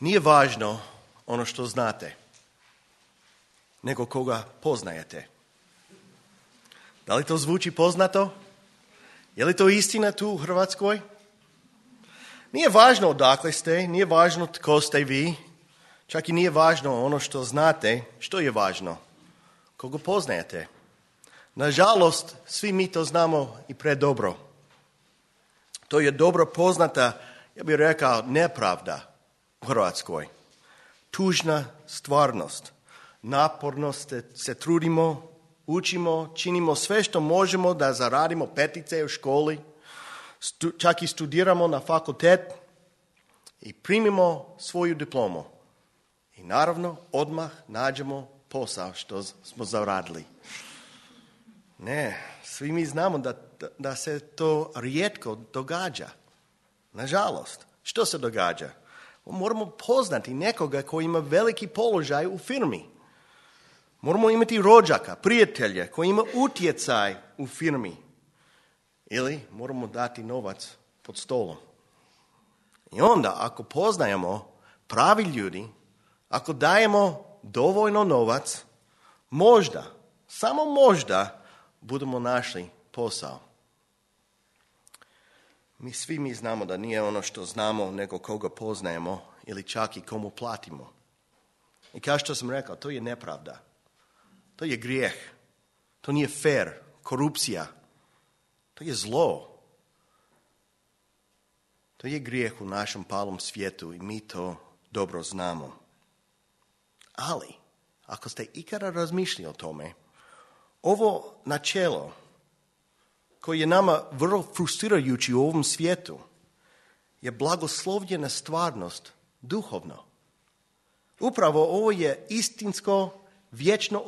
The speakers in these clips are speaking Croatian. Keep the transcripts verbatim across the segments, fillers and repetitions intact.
Nije važno ono što znate, nego koga poznajete. Da li to zvuči poznato? Je li to istina tu u Hrvatskoj? Nije važno odakle ste, nije važno tko ste vi, čak i nije važno ono što znate. Što je važno? Koga poznajete? Nažalost, svi mi to znamo i predobro. To je dobro poznata, ja bih rekao, nepravda u Hrvatskoj. Tužna stvarnost. Naporno se, se trudimo, učimo, činimo sve što možemo da zaradimo petice u školi, stu, čak i studiramo na fakultet i primimo svoju diplomu. I naravno, odmah nađemo posao što smo zaradili. Ne, svi mi znamo da, da, da se to rijetko događa. Nažalost, što se događa? Moramo poznati nekoga koji ima veliki položaj u firmi. Moramo imati rođaka, prijatelje koji ima utjecaj u firmi. Ili moramo dati novac pod stolom. I onda ako poznajemo pravi ljudi, ako dajemo dovoljno novac, možda, samo možda, budemo našli posao. Mi svi mi znamo da nije ono što znamo, nego koga poznajemo ili čak i komu platimo. I kao što sam rekao, to je nepravda. To je grijeh. To nije fair. Korupcija. To je zlo. To je grijeh u našem palom svijetu i mi to dobro znamo. Ali, ako ste ikada razmišljali o tome, ovo načelo koje je nama vrlo frustrirajući u ovom svijetu je blagoslovljena stvarnost duhovno. Upravo ovo je istinsko vječno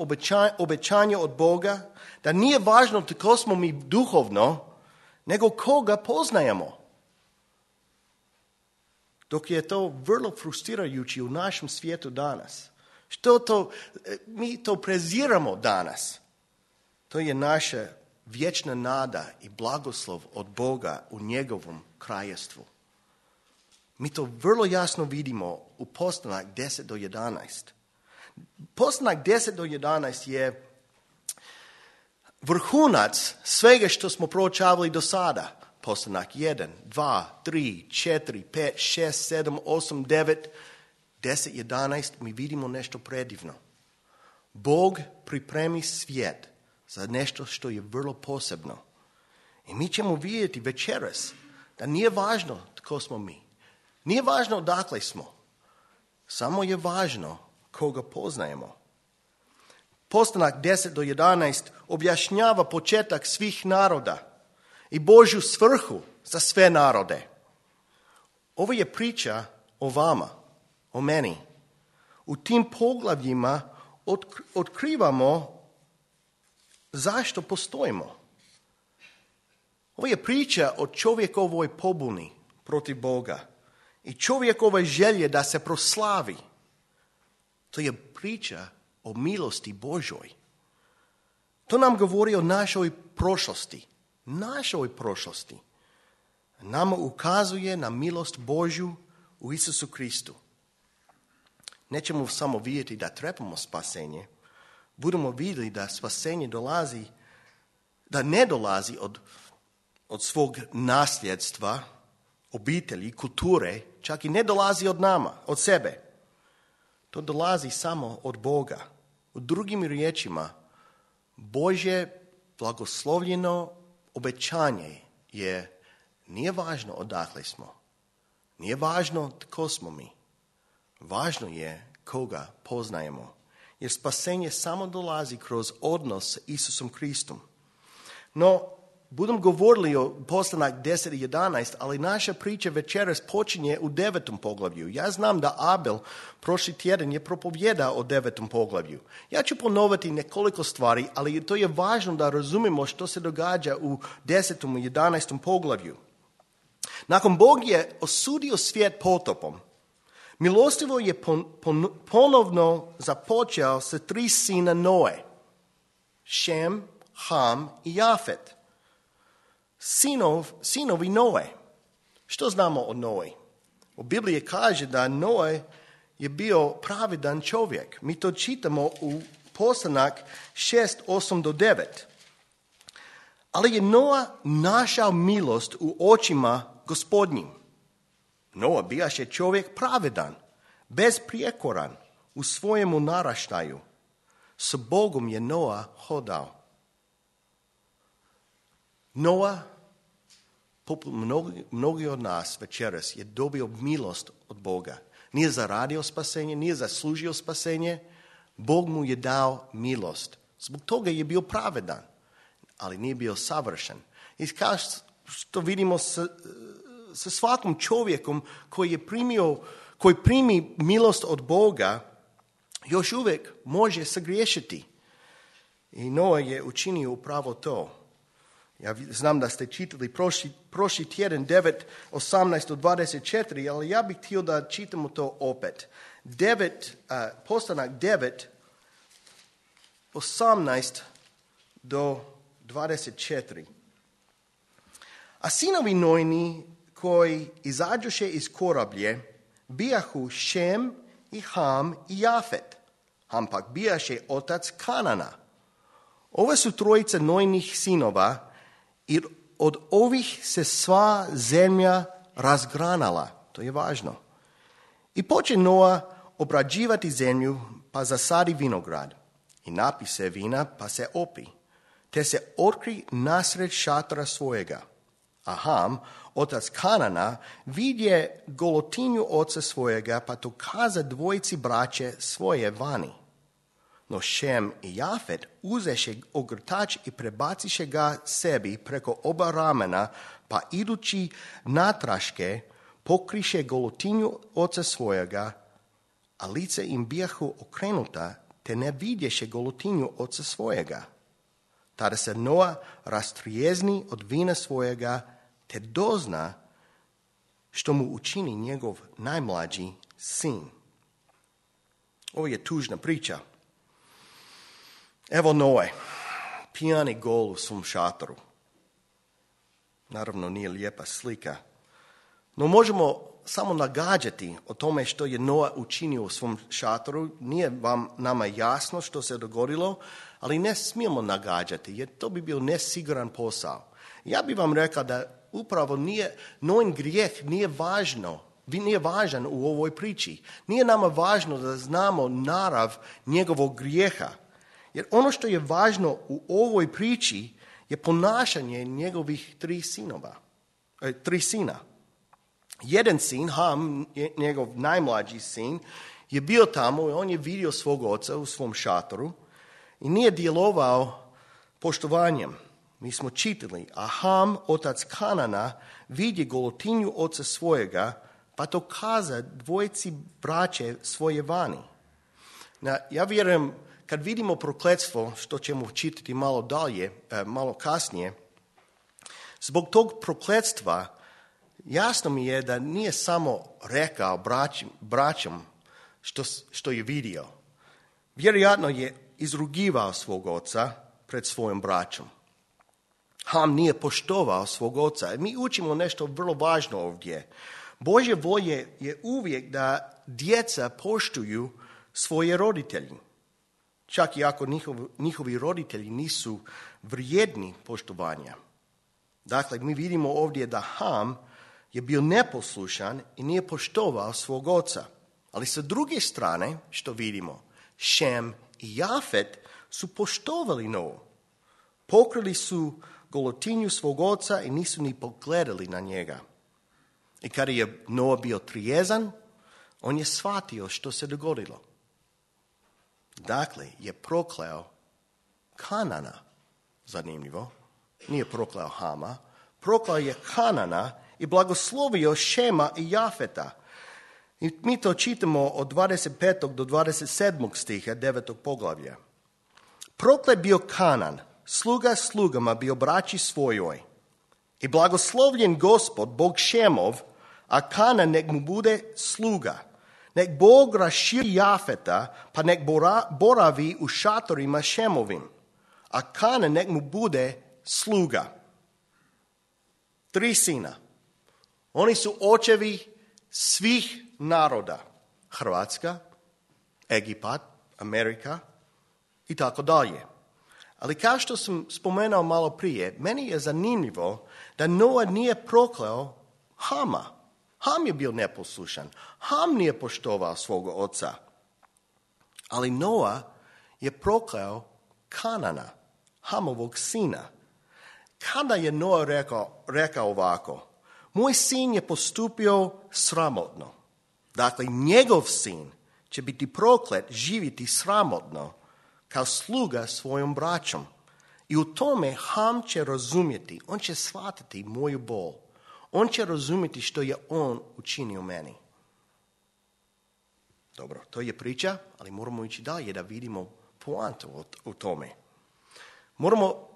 obećanje od Boga da nije važno tko smo mi duhovno, nego koga poznajemo. Dok je to vrlo frustrirajući u našem svijetu danas. Što to, mi to preziramo danas. To je naša vječna nada i blagoslov od Boga u njegovom kraljevstvu. Mi to vrlo jasno vidimo u Postanak deset do jedanaest. Postanak deset do jedanaest je vrhunac svega što smo proučavali do sada. Postanak jedan, dva, tri, četiri, pet, šest, sedam, osam, devet, deset, jedanaest, mi vidimo nešto predivno. Bog pripremi svijet za nešto što je vrlo posebno. I mi ćemo vidjeti večeras da nije važno tko smo mi. Nije važno odakle smo. Samo je važno koga poznajemo. Postanak deset do jedanaest objašnjava početak svih naroda i Božju svrhu za sve narode. Ovo je priča o vama, o meni. U tim poglavljima otkrivamo zašto postojimo. Ovo je priča o čovjekovoj pobuni protiv Boga i čovjekove želje da se proslavi. To je priča o milosti Božoj. To nam govori o našoj prošlosti. Našoj prošlosti. Nama ukazuje na milost Božju u Isusu Kristu. Nećemo samo vidjeti da trebamo spasenje. Budemo vidjeli da spasenje dolazi, da ne dolazi od, od svog nasljedstva, obitelji, kulture, čak i ne dolazi od nama, od sebe. To dolazi samo od Boga. U drugim riječima, Božje blagoslovljeno obećanje je, nije važno odakle smo. Nije važno tko smo mi. Važno je koga poznajemo. Jer spasenje samo dolazi kroz odnos s Isusom Kristom. No, budem govorili o Postanak deset i jedanaest, ali naša priča večeras počinje u devetom poglavlju. Ja znam da Abel prošli tjedan je propovjedao o devetom poglavlju. Ja ću ponoviti nekoliko stvari, ali to je važno da razumemo što se događa u desetom i jedanaestom poglavlju. Nakon Bog je osudio svijet potopom, milostivo je pon, pon, ponovno započeo sa tri sina Noe, Šem, Ham i Jafet. Sinov, sinovi Noe. Što znamo o Noe? U Bibliji kaže da Noe je bio pravedan čovjek. Mi to čitamo u Postanak šest, osam do devet. Ali je Noa našao milost u očima Gospodnjim. Noa bijaše čovjek pravedan, bezprijekoran u svojemu naraštaju. S Bogom je Noa hodao. Noa, poput mnogi, mnogi od nas večeras, je dobio milost od Boga. Nije zaradio spasenje, nije zaslužio spasenje. Bog mu je dao milost. Zbog toga je bio pravedan, ali nije bio savršen. I kao što vidimo sa, sa svakom čovjekom koji je primio, koji primi milost od Boga, još uvijek može sagriješiti. I Noa je učinio upravo to. Ja znam da ste čitali prošli, prošli tjedan devet, osamnaest do dvadeset četiri, ali ja bih htio da čitamo to opet. devet, uh, Postanak devet, osamnaest do dvadeset četiri. A sinovi Nojini koji izađoše iz korablje bijahu Šem i Ham i Jafet. Ham pak bijaše otac Kanana. Ove su trojice Nojnih sinova i od ovih se sva zemlja razgranala. To je važno. I poče Noa obrađivati zemlju, pa zasadi vinograd. I napi se vina, pa se opi. Te se otkri nasred šatora svojega. A Ham, otac Kanana, vidje golotinju oca svojega, pa to kaza dvojici braće svoje vani. No Šem i Jafet uzeše ogrtač i prebaciše ga sebi preko oba ramena, pa idući natraške pokriše golotinju oca svojega, a lice im bijahu okrenuta, te ne vidješe golotinju oca svojega. Tada se Noa rastrijezni od vina svojega, te dozna što mu učini njegov najmlađi sin. Ovo je tužna priča. Evo Noe, pijani gol u svom šatoru. Naravno nije lijepa slika. No možemo samo nagađati o tome što je Noa učinio u svom šatoru. Nije vam nama jasno što se dogodilo, ali ne smijemo nagađati, jer to bi bio nesiguran posao. Ja bih vam rekao da upravo nije, Noin grijeh nije važno, nije važan u ovoj priči. Nije nama važno da znamo narav njegovog grijeha. Jer ono što je važno u ovoj priči je ponašanje njegovih tri sinova, e, tri sina. Jedan sin, Ham, njegov najmlađi sin, je bio tamo i on je vidio svog oca u svom šatoru i nije djelovao poštovanjem. Mi smo čitali, a Ham, otac Kanana, vidi golotinju oca svojega, pa to kaza dvojici braće svoje vani. Na, ja vjerujem, kad vidimo prokletstvo, što ćemo čitati malo dalje, malo kasnije, zbog tog prokletstva jasno mi je da nije samo rekao braćim, braćom što, što je vidio. Vjerojatno je izrugivao svog oca pred svojim braćom. Ham nije poštovao svog oca. Mi učimo nešto vrlo važno ovdje. Božje volje je uvijek da djeca poštuju svoje roditelji. Čak i ako njihov, njihovi roditelji nisu vrijedni poštovanja. Dakle, mi vidimo ovdje da Ham je bio neposlušan i nije poštovao svog oca. Ali sa druge strane, što vidimo, Šem i Jafet su poštovali Noa. Pokrili su golotinju svog oca i nisu ni pogledali na njega. I kada je Noa bio trijezan, on je shvatio što se dogodilo. Dakle, je prokleo Kanana, zanimljivo, nije prokleo Hama, prokleo je Kanana i blagoslovio Šema i Jafeta. I mi to čitamo od dvadeset petog do dvadeset sedmog stiha devetog poglavlja. Proklet bio Kanan, sluga slugama bio braći svojoj. I blagoslovljen Gospod, Bog Šemov, a Kanan nek mu bude sluga. Nek Bog raširi Jafeta, pa nek boravi u šatorima Šemovim, a Kanan nek mu bude sluga. Tri sina. Oni su očevi svih naroda. Hrvatska, Egipat, Amerika i tako dalje. Ali kao što sam spomenuo malo prije, meni je zanimljivo da Noa nije prokleo Hama. Ham je bio neposlušan. Ham nije poštovao svoga oca. Ali Noa je prokleo Kanana, Hamovog sina. Kada je Noa rekao, rekao ovako, moj sin je postupio sramotno. Dakle, njegov sin će biti proklet, živjeti sramotno, kao sluga svojom braćom. I u tome Ham će razumjeti, on će shvatiti moju bol. On će razumjeti što je on učinio meni. Dobro, to je priča, ali moramo ići dalje da vidimo poantu u tome. Moramo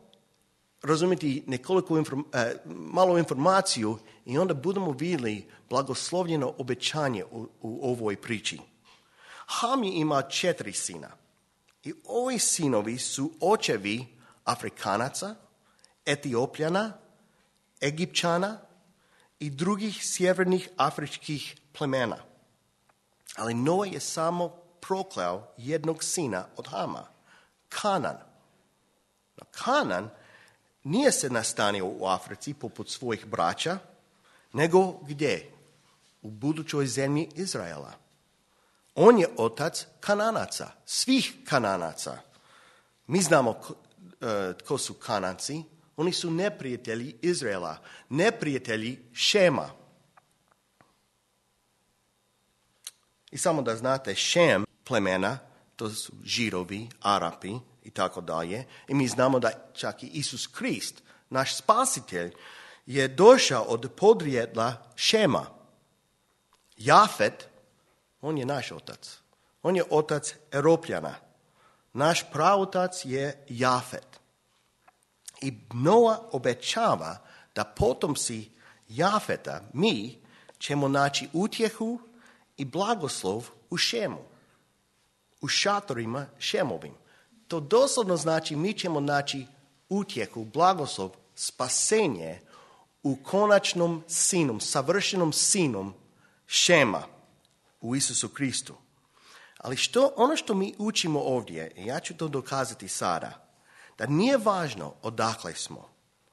razumjeti nekoliko inform, eh, malo informaciju i onda budemo vidjeli blagoslovljeno obećanje u, u ovoj priči. Ham je ima četiri sina. I ovi sinovi su očevi Afrikanaca, Etiopljana, Egipćana i drugih sjevernih afričkih plemena. Ali Noa je samo prokleo jednog sina od Hama, Kanan. No, Kanan nije se nastanio u Africi poput svojih braća, nego gdje? U budućoj zemlji Izraela. On je otac Kananaca, svih Kananaca. Mi znamo tko su Kananci. Oni su neprijatelji Izraela, neprijatelji Šema. I samo da znate, Šem plemena, to su Židovi, Arapi i tako dalje. I mi znamo da čak i Isus Krist, naš spasitelj, je došao od podrijetla Šema. Jafet, on je naš otac. On je otac Europljana. Naš praotac je Jafet. I Noa obećava da potomci Jafeta, mi, ćemo naći utjehu i blagoslov u Šemu, u šatorima Šemovim. To doslovno znači mi ćemo naći utjehu, blagoslov, spasenje u konačnom sinu, savršenom sinu Šema, u Isusu Kristu. Ali što, ono što mi učimo ovdje, i ja ću to dokazati sada, da nije važno odakle smo,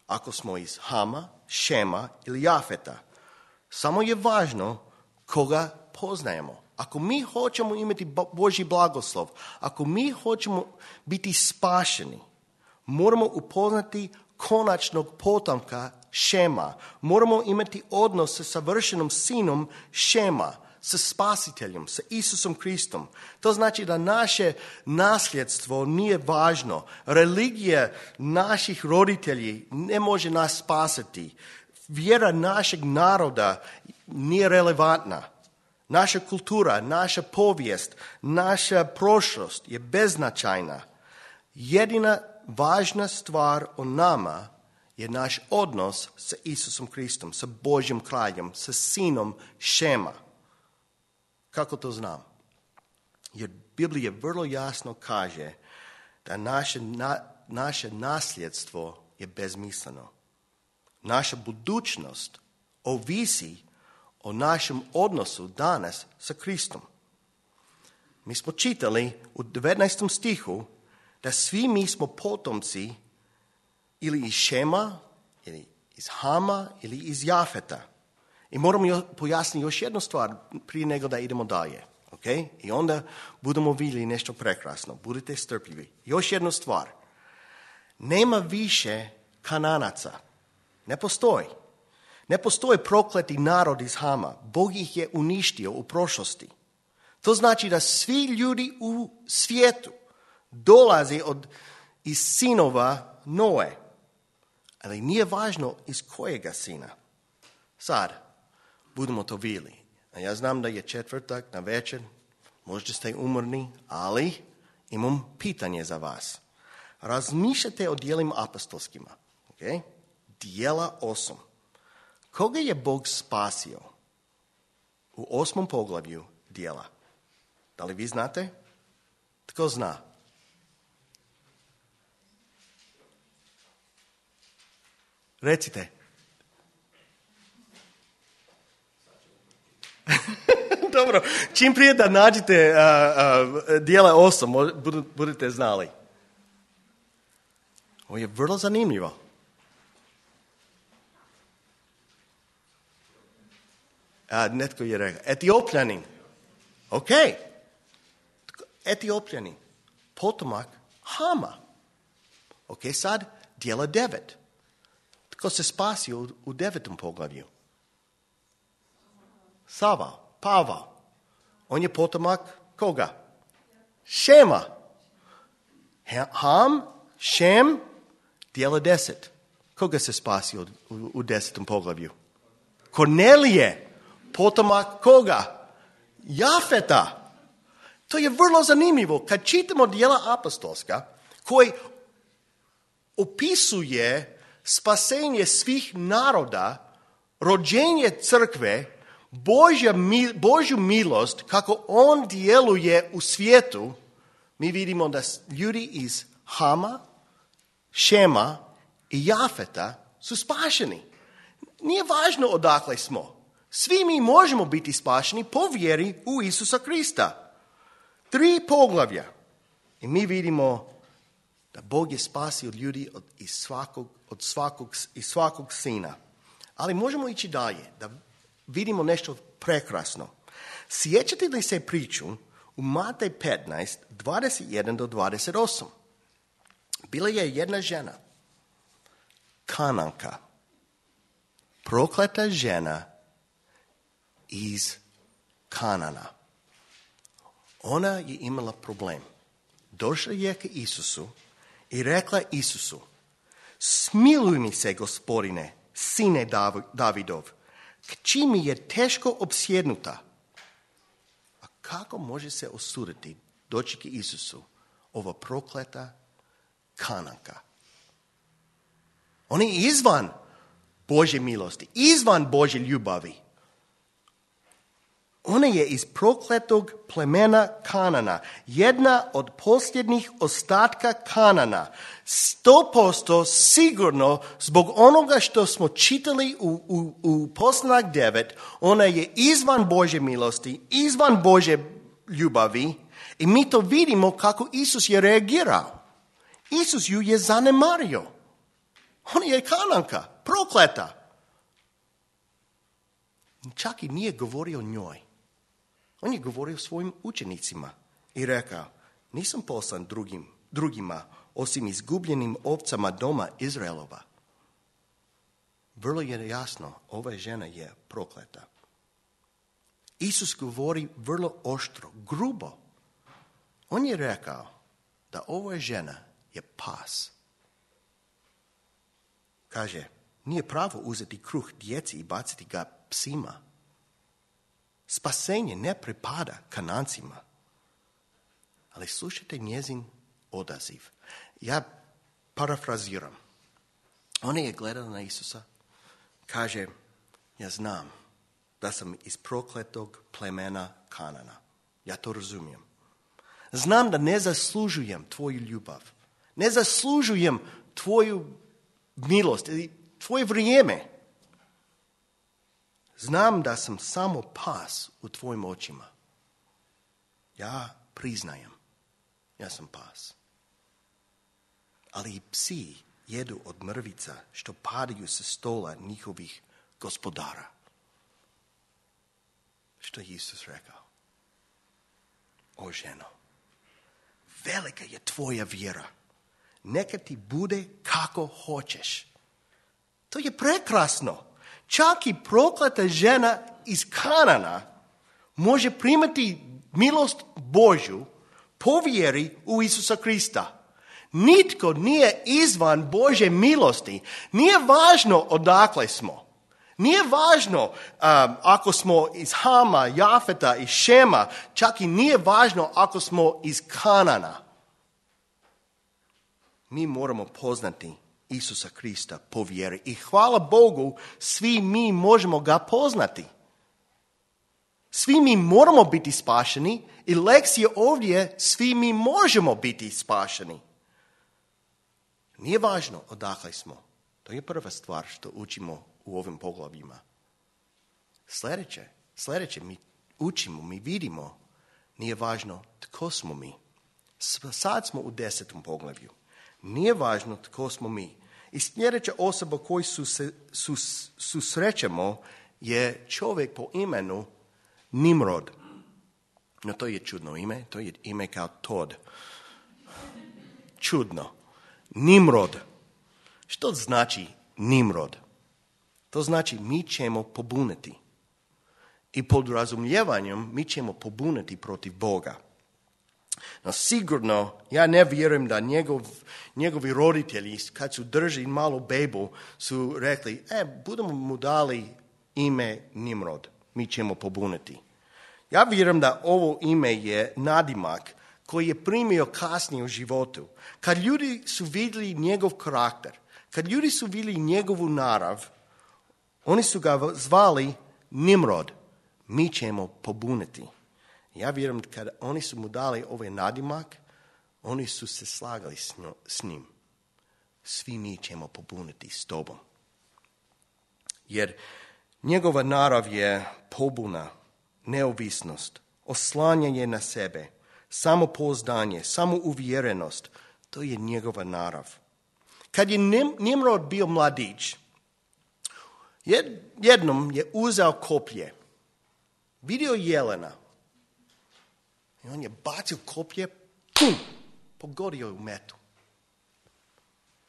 ako smo iz Hama, Šema ili Jafeta. Samo je važno koga poznajemo. Ako mi hoćemo imati Božji blagoslov, ako mi hoćemo biti spašeni, moramo upoznati konačnog potomka Šema. Moramo imati odnos sa savršenom sinom Šema, sa spasiteljem, sa Isusom Kristom. To znači da naše nasljedstvo nije važno. Religija naših roditelji ne može nas spasiti. Vjera našeg naroda nije relevantna. Naša kultura, naša povijest, naša prošlost je beznačajna. Jedina važna stvar o nama je naš odnos sa Isusom Kristom, sa Božjim kraljem, sa sinom Šema. Kako to znam? Jer Biblija vrlo jasno kaže da naše, na, naše nasljedstvo je bezmisleno. Naša budućnost ovisi o našem odnosu danas sa Kristom. Mi smo čitali u devetnaestom stihu da svi mi smo potomci ili iz Šema, ili iz Hama, ili iz Jafeta. I moramo pojasniti još jednu stvar prije nego da idemo dalje. Okay? I onda budemo vidjeli nešto prekrasno. Budite strpljivi. Još jednu stvar. Nema više Kananaca. Ne postoji. Ne postoji prokleti narod iz Hama. Bog ih je uništio u prošlosti. To znači da svi ljudi u svijetu dolaze od, iz sinova Noe. Ali nije važno iz kojega sina. Sad, budemo to vidjeli. A ja znam da je četvrtak na večer, možda ste umorni, ali imam pitanje za vas. Razmišljate o dijelima apostolskima. Okay? Dijela osam. Koga je Bog spasio u osmom poglavlju dijela? Da li vi znate? Tko zna? Recite. Dobro, čim prije da nađete uh, uh, dijela osam, budete znali. Ovo je vrlo zanimljivo. A, netko je rekao, Etiopljanin. Ok. Etiopljanin. Potomak Hama. Ok, sad dijela devet. Tko se spasio u, u devetom poglavlju? Sava, Pavao. On je potomak koga? Šema. Ham, Šem, dijela deset. Koga se spasio u, u desetom poglavlju? Kornelije. Potomak koga? Jafeta. To je vrlo zanimljivo. Kad čitamo dijela apostolska, koji opisuje spasenje svih naroda, rođenje crkve, Božja, Božju milost, kako on djeluje u svijetu, mi vidimo da ljudi iz Hama, Šema i Jafeta su spašeni. Nije važno odakle smo. Svi mi možemo biti spašeni po vjeri u Isusa Krista. Tri poglavlja. I mi vidimo da Bog je spasio ljudi od, iz svakog, od svakog, iz svakog sina. Ali možemo ići dalje, da vidimo nešto prekrasno. Sjećate li se priču u Matej petnaest, dvadeset jedan do dvadeset osam? Bila je jedna žena, Kananka, prokleta žena iz Kanana. Ona je imala problem. Došla je k Isusu i rekla Isusu, smiluj mi se, Gospodine, sine Davidov, kći mi je teško opsjednuta. A kako može se osuditi doći k Isusu ova prokleta Kananka? Ona je izvan Božje milosti, izvan Božje ljubavi. Ona je iz prokletog plemena Kanana, jedna od posljednjih ostatka Kanana. Sto posto sigurno zbog onoga što smo čitali u, u, u Poslanak devet, ona je izvan Božje milosti, izvan Božje ljubavi i mi to vidimo kako Isus je reagirao. Isus ju je zanemario. Ona je Kananka, prokleta. Čak i nije govorio o njoj. On je govorio svojim učenicima i rekao, nisam poslan drugim, drugima osim izgubljenim ovcama doma Izraelova. Vrlo je jasno, ova žena je prokleta. Isus govori vrlo oštro, grubo. On je rekao da ova žena je pas. Kaže, nije pravo uzeti kruh djeci i baciti ga psima. Spasenje ne pripada Kanancima. Ali slušajte njezin odaziv. Ja parafraziram. Ona je gledala na Isusa. Kaže, ja znam da sam iz prokletog plemena Kanana. Ja to razumijem. Znam da ne zaslužujem tvoju ljubav. Ne zaslužujem tvoju milost ili tvoje vrijeme. Znam da sam samo pas u tvojim očima. Ja priznajem. Ja sam pas. Ali i psi jedu od mrvica što padaju sa stola njihovih gospodara. Što je Isus rekao? O ženo, velika je tvoja vjera. Neka ti bude kako hoćeš. To je prekrasno. Čak i prokleta žena iz Kanana može primati milost Božju po vjeri u Isusa Krista. Nitko nije izvan Božje milosti. Nije važno odakle smo. Nije važno um, ako smo iz Hama, Jafeta i Šema. Čak i nije važno ako smo iz Kanana. Mi moramo poznati Isusa Krista po vjeri. I hvala Bogu, svi mi možemo ga poznati. Svi mi moramo biti spašeni i lekcija ovdje, svi mi možemo biti spašeni. Nije važno odakle smo. To je prva stvar što učimo u ovim poglavljima. Sljedeće, sljedeće mi učimo, mi vidimo, nije važno tko smo mi. Sad smo u desetom poglavlju. Nije važno tko smo mi. I sljedeća osoba koju su se, su, susrećemo je čovjek po imenu Nimrod. No to je čudno ime, to je ime kao Tod. Čudno. Nimrod. Što znači Nimrod? To znači mi ćemo pobuniti. I pod razumijevanjem mi ćemo pobuniti protiv Boga. No sigurno, ja ne vjerujem da njegov, njegovi roditelji, kad su držali malu bebu, su rekli, e, budemo mu dali ime Nimrod, mi ćemo pobuniti. Ja vjerujem da ovo ime je nadimak koji je primio kasnije u životu. Kad ljudi su vidjeli njegov karakter, kad ljudi su vidjeli njegovu narav, oni su ga zvali Nimrod, mi ćemo pobuniti. Ja vjerujem kada oni su mu dali ovaj nadimak, oni su se slagali s njim. Svi mi ćemo pobuniti s tobom. Jer njegova narav je pobuna, neovisnost, oslanjanje na sebe, samopouzdanje, samouvjerenost. To je njegova narav. Kad je Nimrod bio mladić, jednom je uzeo koplje, vidio jelena, i on je bacio koplje, pum, pogodio u metu.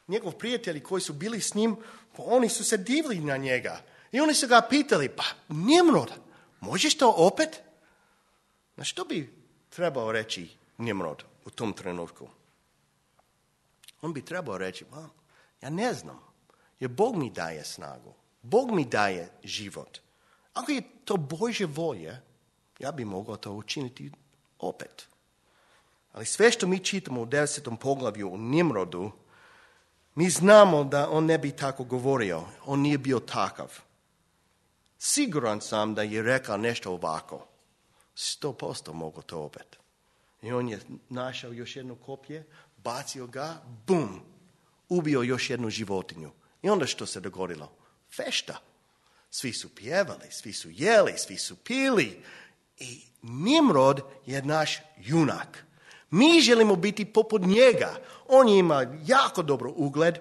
Njegov prijatelji koji su bili s njim, oni su se divili na njega. I oni su ga pitali, pa Nimrod, možeš to opet? Na što bi trebao reći Nimrod u tom trenutku? On bi trebao reći, pa, ja ne znam, jer Bog mi daje snagu. Bog mi daje život. Ako je to Božje volje, ja bi mogao to učiniti opet. Ali sve što mi čitamo u desetom poglavlju u Nimrodu, mi znamo da on ne bi tako govorio. On nije bio takav. Siguran sam da je rekao nešto ovako. Sto posto mogu to opet. I on je našao još jedno koplje, bacio ga, bum, ubio još jednu životinju. I onda što se dogodilo? Fešta. Svi su pjevali, svi su jeli, svi su pili. I Nimrod je naš junak. Mi želimo biti poput njega. On je imao jako dobro ugled.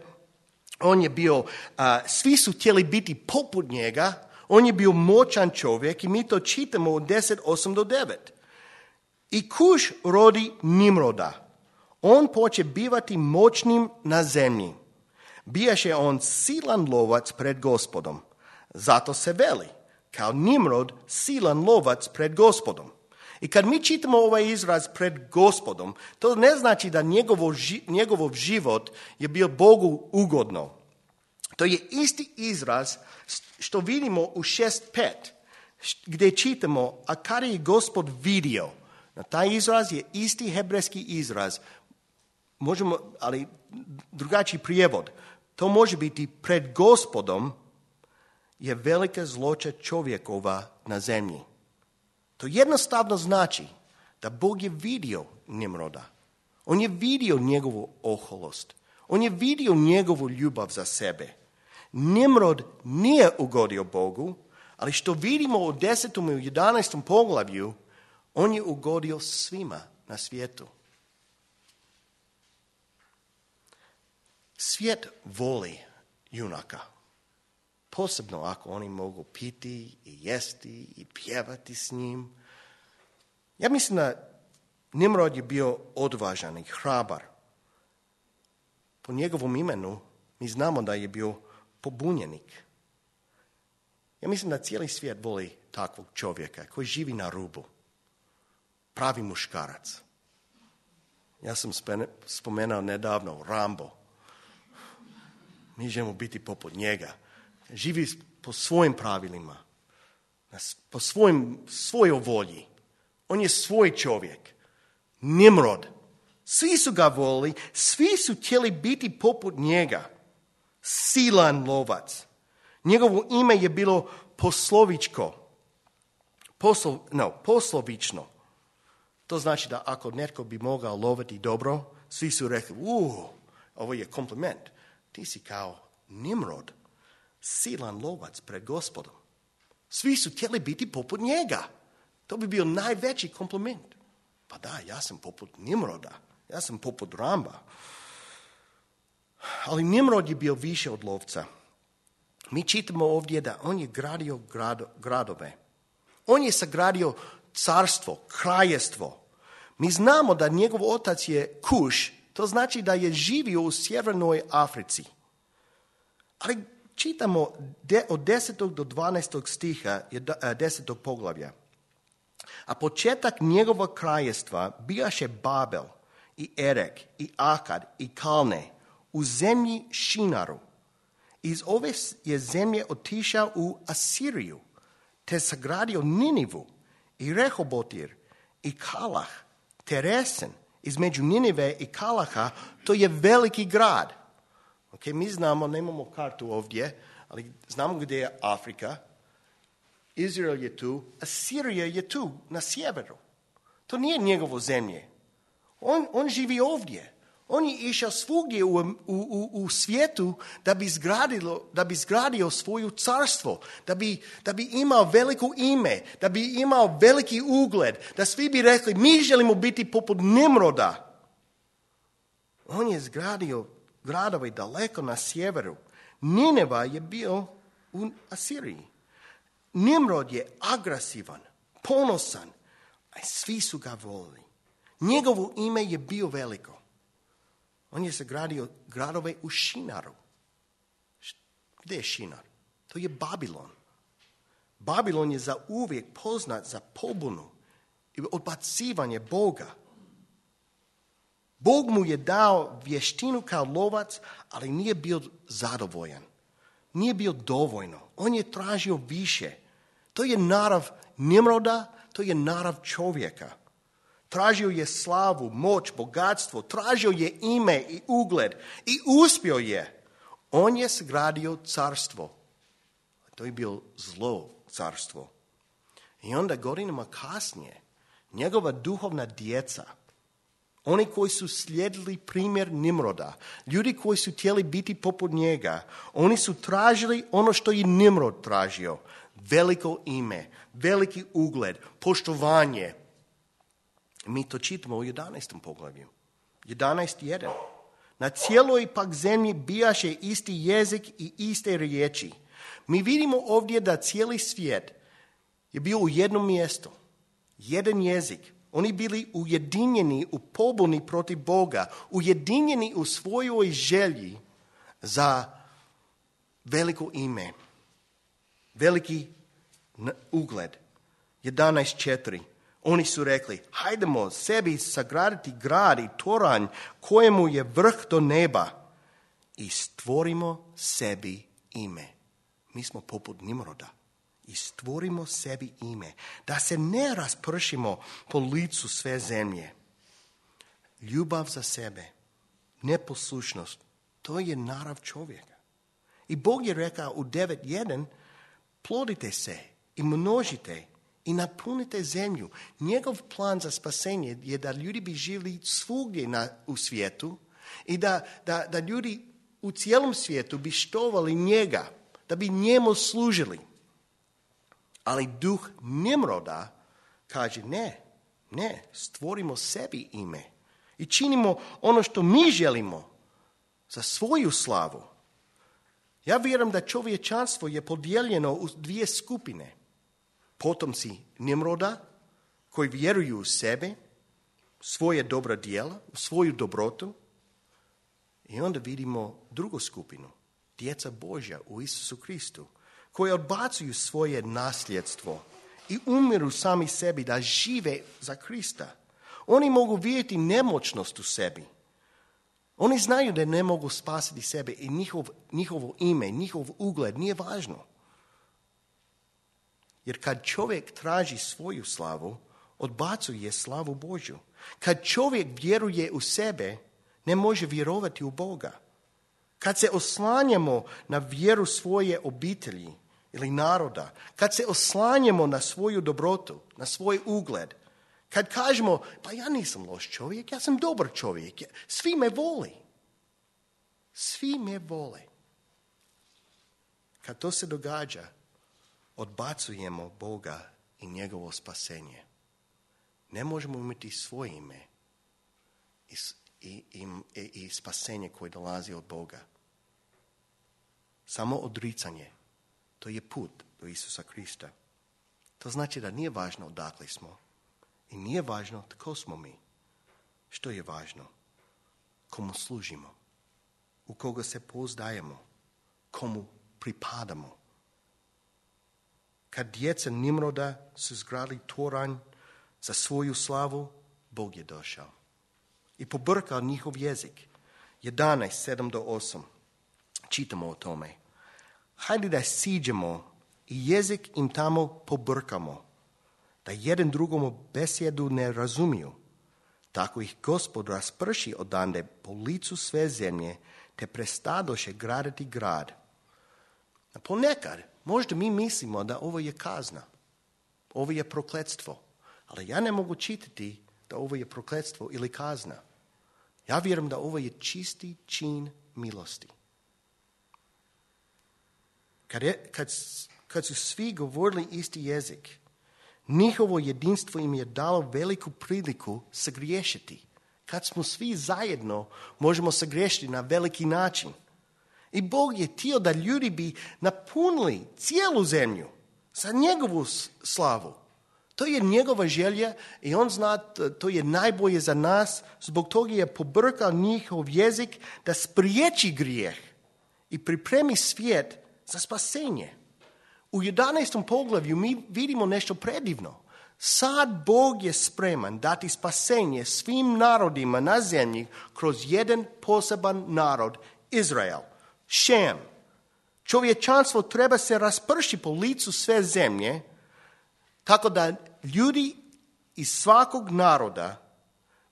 On je bio, a, svi su htjeli biti poput njega. On je bio moćan čovjek i mi to čitamo u deset, osam do devet. I Kuš rodi Nimroda. On poče bivati moćnim na zemlji. Bijaše on silan lovac pred Gospodom. Zato se veli, kao Nimrod, silan lovac pred Gospodom. I kad mi čitamo ovaj izraz pred Gospodom, to ne znači da njegovo, njegov život je bio Bogu ugodno. To je isti izraz što vidimo u šest pet, gdje čitamo, a kada je Gospod vidio. Na taj izraz je isti hebrejski izraz, možemo, ali drugačiji prijevod. To može biti pred Gospodom je velika zloća čovjekova na zemlji. To jednostavno znači da Bog je vidio Nimroda. On je vidio njegovu oholost. On je vidio njegovu ljubav za sebe. Nimrod nije ugodio Bogu, ali što vidimo u desetom i u jedanaestom poglavlju, on je ugodio svima na svijetu. Svijet voli junaka. Posebno ako oni mogu piti i jesti i pjevati s njim. Ja mislim da Nimrod je bio odvažan i hrabar. Po njegovom imenu mi znamo da je bio pobunjenik. Ja mislim da cijeli svijet voli takvog čovjeka koji živi na rubu. Pravi muškarac. Ja sam spomenuo nedavno Rambo. Mi želimo biti poput njega. Živi po svojim pravilima, po svojim, svojoj volji. On je svoj čovjek. Nimrod. Svi su ga volili, svi su htjeli biti poput njega. Silan lovac. Njegovo ime je bilo poslovičko. Poslo, no, poslovično. To znači da ako netko bi mogao loviti dobro, svi su rekli, uh, ovo je kompliment. Ti si kao Nimrod. Silan lovac pred Gospodom. Svi su htjeli biti poput njega. To bi bio najveći kompliment. Pa da, ja sam poput Nimroda. Ja sam poput Ramba. Ali Nimrod je bio više od lovca. Mi čitamo ovdje da on je gradio grado, gradove. On je sagradio carstvo, kraljestvo. Mi znamo da njegov otac je Kuš, to znači da je živio u sjevernoj Africi. Ali čitamo de, od desetog do dvanaestog stiha, desetog poglavlja. A početak njegova kraljestva bijaše Babel i Erek i Akad i Kalne u zemlji Šinaru. Iz ove je zemlje otišao u Asiriju, te sagradio Ninivu i Rehobotir i Kalah, te Resen. Između Ninive i Kalaha, to je veliki grad. Okay, mi znamo, nemamo kartu ovdje, ali znamo gdje je Afrika. Izrael je tu, Asirija je tu, na sjeveru. To nije njegovo zemlje. On, on živi ovdje. On je išao svugdje u, u, u, u svijetu da bi, zgradilo, da bi zgradio svoju carstvo, da bi, da bi imao veliko ime, da bi imao veliki ugled, da svi bi rekli, mi želimo biti poput Nimroda. On je zgradio gradove daleko na sjeveru. Nineva je bio u Asiriji. Nimrod je agresivan, ponosan, a svi su ga volili. Njegovo ime je bio veliko. On je sagradio gradove u Šinaru. Gdje je Šinar? To je Babilon. Babilon je za uvijek poznat za pobunu i odbacivanje Boga. Bog mu je dao vještinu kao lovac, ali nije bio zadovoljan. Nije bio dovoljno. On je tražio više. To je narav Nimroda, to je narav čovjeka. Tražio je slavu, moć, bogatstvo, tražio je ime i ugled i uspio je. On je sagradio carstvo. To je bilo zlo carstvo. I onda godinama kasnije, njegova duhovna djeca, oni koji su slijedili primjer Nimroda, ljudi koji su htjeli biti poput njega, oni su tražili ono što je Nimrod tražio. Veliko ime, veliki ugled, poštovanje. Mi to čitamo u jedanaestom poglavlju. jedanaest jedan. Na cijeloj pak zemlji bijaše isti jezik i iste riječi. Mi vidimo ovdje da cijeli svijet je bio u jednom mjestu. Jedan jezik. Oni bili ujedinjeni u pobuni protiv Boga. Ujedinjeni u svojoj želji za veliko ime. Veliki ugled. jedanaest četiri. Oni su rekli, hajdemo sebi sagraditi grad i toranj kojemu je vrh do neba i stvorimo sebi ime. Mi smo poput Nimroda i stvorimo sebi ime, da se ne raspršimo po licu sve zemlje. Ljubav za sebe, neposlušnost, to je narav čovjeka. I Bog je rekao u devet jedan, plodite se i množite i napunite zemlju. Njegov plan za spasenje je da ljudi bi živjeli svugdje na, u svijetu i da, da, da ljudi u cijelom svijetu bi štovali njega, da bi njemu služili. Ali duh Nimroda kaže ne, ne, stvorimo sebi ime i činimo ono što mi želimo za svoju slavu. Ja vjerujem da čovječanstvo je podijeljeno u dvije skupine. Potomci Nimroda koji vjeruju u sebe, svoje dobra djela, svoju dobrotu. I onda vidimo drugu skupinu, djeca Božja u Isusu Kristu, koji odbacuju svoje nasljedstvo i umiru sami sebi da žive za Krista. Oni mogu vidjeti nemoćnost u sebi. Oni znaju da ne mogu spasiti sebe i njihov, njihovo ime, njihov ugled nije važno. Jer kad čovjek traži svoju slavu, odbacuje slavu Božju. Kad čovjek vjeruje u sebe, ne može vjerovati u Boga. Kad se oslanjamo na vjeru svoje obitelji ili naroda, kad se oslanjamo na svoju dobrotu, na svoj ugled, kad kažemo, pa ja nisam loš čovjek, ja sam dobar čovjek, svi me voli. Svi me vole. Kad to se događa, odbacujemo Boga i njegovo spasenje. Ne možemo imati svoje ime i, i, i, i spasenje koje dolazi od Boga. Samo odricanje, to je put do Isusa Krista. To znači da nije važno odakle smo i nije važno tko smo mi. Što je važno? Komu služimo, u koga se pouzdajemo, komu pripadamo. Kad djeca Nimroda su zgradili toranj za svoju slavu, Bog je došao i pobrkao njihov jezik. jedanaest, sedam do osam. Čitamo o tome. Hajde da siđemo i jezik im tamo pobrkamo, da jedan drugomu besjedu ne razumiju. Tako ih Gospod rasprši odande po licu sve zemlje, te prestadoše graditi grad. A ponekad, možda mi mislimo da ovo je kazna, ovo je prokletstvo, ali ja ne mogu čitati da ovo je prokletstvo ili kazna. Ja vjerujem da ovo je čisti čin milosti. Kad, je, kad, kad su svi govorili isti jezik, njihovo jedinstvo im je dalo veliku priliku sagriješiti. Kad smo svi zajedno, možemo sagriješiti na veliki način. I Bog je htio da ljudi bi napunili cijelu zemlju za njegovu slavu. To je njegova želja i on zna to je najbolje za nas. Zbog toga je pobrkao njihov jezik da spriječi grijeh i pripremi svijet za spasenje. U jedanaestom poglavlju mi vidimo nešto predivno. Sad Bog je spreman dati spasenje svim narodima na zemlji kroz jedan poseban narod, Izrael, Šem. Čovječanstvo treba se raspršiti po licu sve zemlje, tako da ljudi iz svakog naroda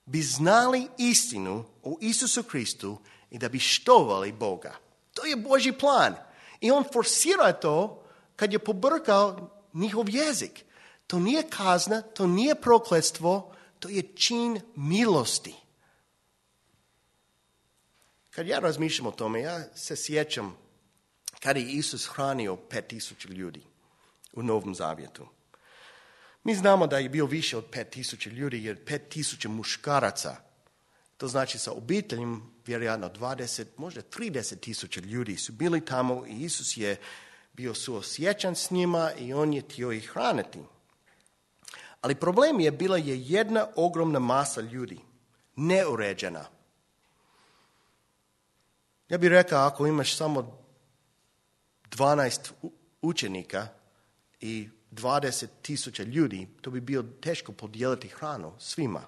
bi znali istinu o Isusu Kristu i da bi štovali Boga. To je Božji plan. I on forsira to kad je pobrkao njihov jezik. To nije kazna, to nije prokletstvo, to je čin milosti. Kad ja razmišljam o tome, ja se sjećam kada je Isus hranio pet tisuća ljudi u Novom Zavjetu. Mi znamo da je bio više od pet tisuća ljudi, jer pet tisuća muškaraca, to znači sa obiteljem, vjerojatno dvadeset, možda trideset tisuća ljudi su bili tamo i Isus je bio suosjećan s njima i on je htio ih hraniti. Ali problem je bila je jedna ogromna masa ljudi, neuređena. Ja bih rekao, ako imaš samo dvanaest učenika i dvadeset tisuća ljudi, to bi bilo teško podijeliti hranu svima.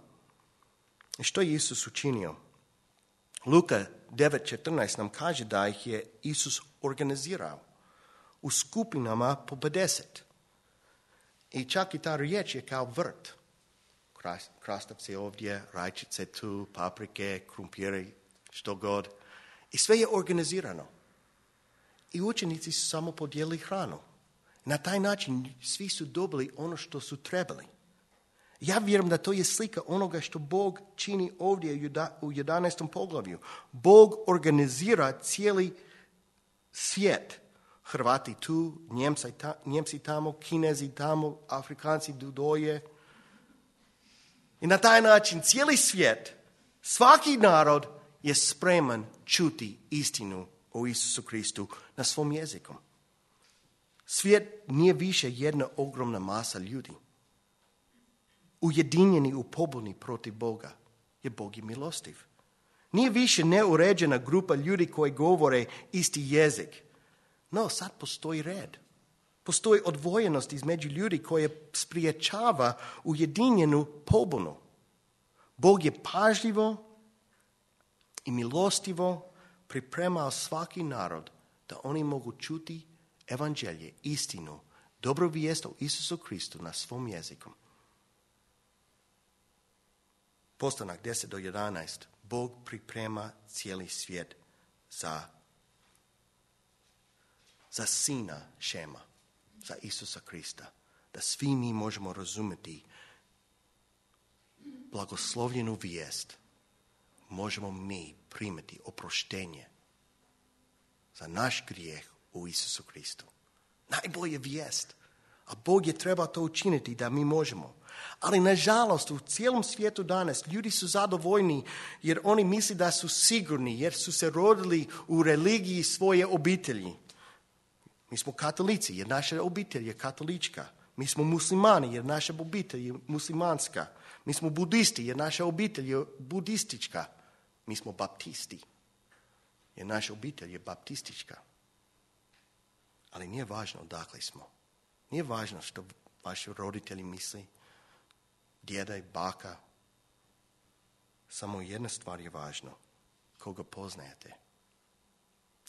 I što je Isus učinio? Luka devet četrnaest nam kaže da ih je Isus organizirao u skupinama po pedeset. I čak i ta riječ je kao vrt. Krastavci ovdje, rajčice tu, paprike, krumpiri, što god. I sve je organizirano. I učenici su samo podijelili hranu. Na taj način svi su dobili ono što su trebali. Ja vjerujem da to je slika onoga što Bog čini ovdje u jedanaestom poglavlju. Bog organizira cijeli svijet. Hrvati tu, Njemci, ta, Njemci tamo, Kinezi tamo, Afrikanci dudoje. I na taj način cijeli svijet, svaki narod je spreman čuti istinu o Isusu Kristu na svom jeziku. Svijet nije više jedna ogromna masa ljudi. Ujedinjeni u pobuni protiv Boga, jer Bog je milostiv. Nije više neuređena grupa ljudi koji govore isti jezik. No, sad postoji red. Postoji odvojenost između ljudi koje spriječava ujedinjenu pobunu. Bog je pažljivo i milostivo pripremao svaki narod da oni mogu čuti evanđelje, istinu, dobru vijest o Isusu Kristu na svom jeziku. Postanak deset do jedanaest. Bog priprema cijeli svijet za, za sina Šema, za Isusa Krista. Da svi mi možemo razumjeti blagoslovljenu vijest. Možemo mi primiti oproštenje za naš grijeh u Isusu Kristu. Najbolja vijest. A Bog je trebao to učiniti da mi možemo. Ali nažalost u cijelom svijetu danas ljudi su zadovoljni jer oni misle da su sigurni, jer su se rodili u religiji svoje obitelji. Mi smo katolici jer naša obitelj je katolička. Mi smo muslimani jer naša obitelj je muslimanska. Mi smo budisti jer naša obitelj je budistička. Mi smo baptisti jer naša obitelj je baptistička. Ali nije važno odakle smo. Nije važno što vaši roditelji misli, djeda i baka. Samo jedna stvar je važna. Koga poznajete?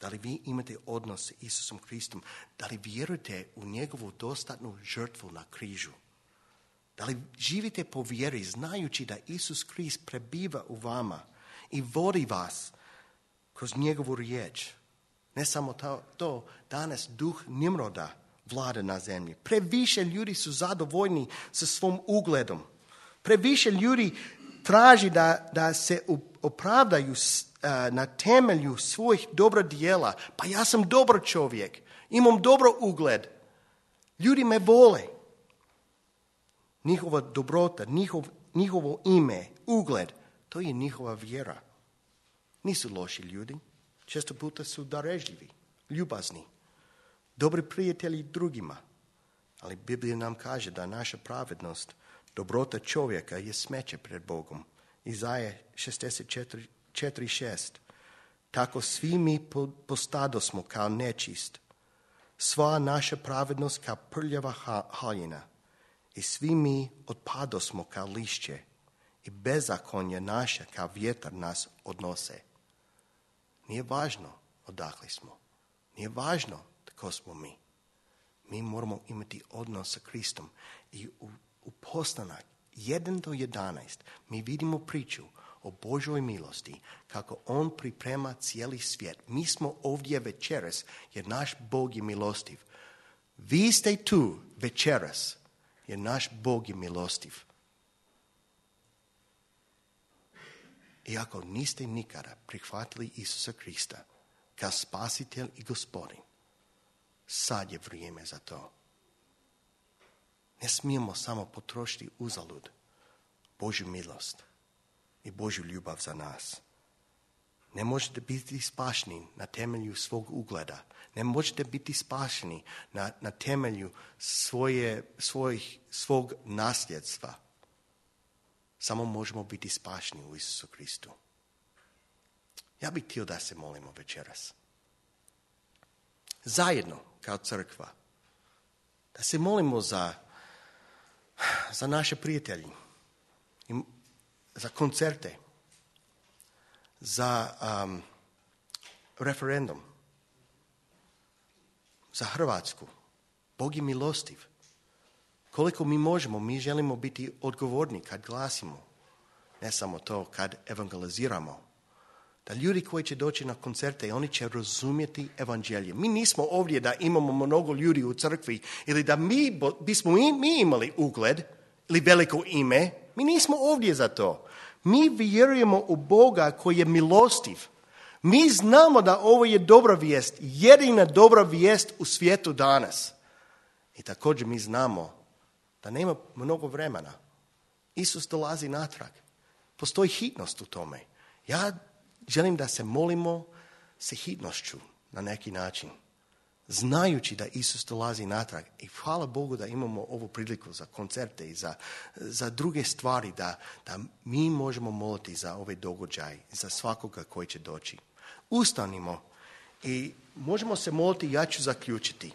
Da li vi imate odnos s Isusom Kristom? Da li vjerujete u njegovu dostatnu žrtvu na križu? Da li živite po vjeri znajući da Isus Krist prebiva u vama i vodi vas kroz njegovu riječ? Ne samo to, to danas duh Nimroda vlada na zemlji. Previše ljudi su zadovoljni sa svom ugledom. Previše ljudi traži da, da se opravdaju na temelju svojih dobra djela. Pa ja sam dobar čovjek, imam dobro ugled. Ljudi me vole. Njihova dobrota, njihov, njihovo ime, ugled, to je njihova vjera. Nisu loši ljudi. Često puta su darežljivi, ljubazni, dobri prijatelji drugima. Ali Biblija nam kaže da naša pravednost, dobrota čovjeka je smeće pred Bogom. Izaje šezdeset četiri šest. Tako svi mi postadosmo kao nečist. Sva naša pravednost kao prljava haljina. I svi mi otpadosmo kao lišće. I bezakonje naše kao vjetar nas odnose. Nije važno odakle smo. Nije važno tko smo mi. Mi moramo imati odnos sa Kristom. I u, u postanak jedan do jedanaest mi vidimo priču o Božoj milosti, kako on priprema cijeli svijet. Mi smo ovdje večeras jer naš Bog je milostiv. Vi ste tu večeras jer naš Bog je milostiv. I ako niste nikada prihvatili Isusa Krista kao spasitelj i gospodin, sad je vrijeme za to. Ne smijemo samo potrošiti uzalud Božju milost i Božju ljubav za nas. Ne možete biti spašeni na temelju svog ugleda. Ne možete biti spašeni na, na temelju svoje, svojih, svog nasljedstva. Samo možemo biti spašeni u Isusu Kristu. Ja bih htio da se molimo večeras. Zajedno, kao crkva. Da se molimo za, za naše prijatelji. Za koncerte. Za um, referendum. Za Hrvatsku. Bog je milostiv. Koliko mi možemo, mi želimo biti odgovorni kad glasimo. Ne samo to, kad evangeliziramo. Da ljudi koji će doći na koncerte, oni će razumjeti evanđelje. Mi nismo ovdje da imamo mnogo ljudi u crkvi ili da mi bismo mi, mi imali ugled ili veliko ime. Mi nismo ovdje za to. Mi vjerujemo u Boga koji je milostiv. Mi znamo da ovo je dobra vijest, jedina dobra vijest u svijetu danas. I također mi znamo da nema mnogo vremena. Isus dolazi natrag. Postoji hitnost u tome. Ja želim da se molimo sa hitnošću na neki način. Znajući da Isus dolazi natrag. I hvala Bogu da imamo ovu priliku za koncerte i za, za druge stvari. Da, da mi možemo moliti za ovaj događaj. Za svakoga koji će doći. Ustanimo i možemo se moliti, ja ću zaključiti.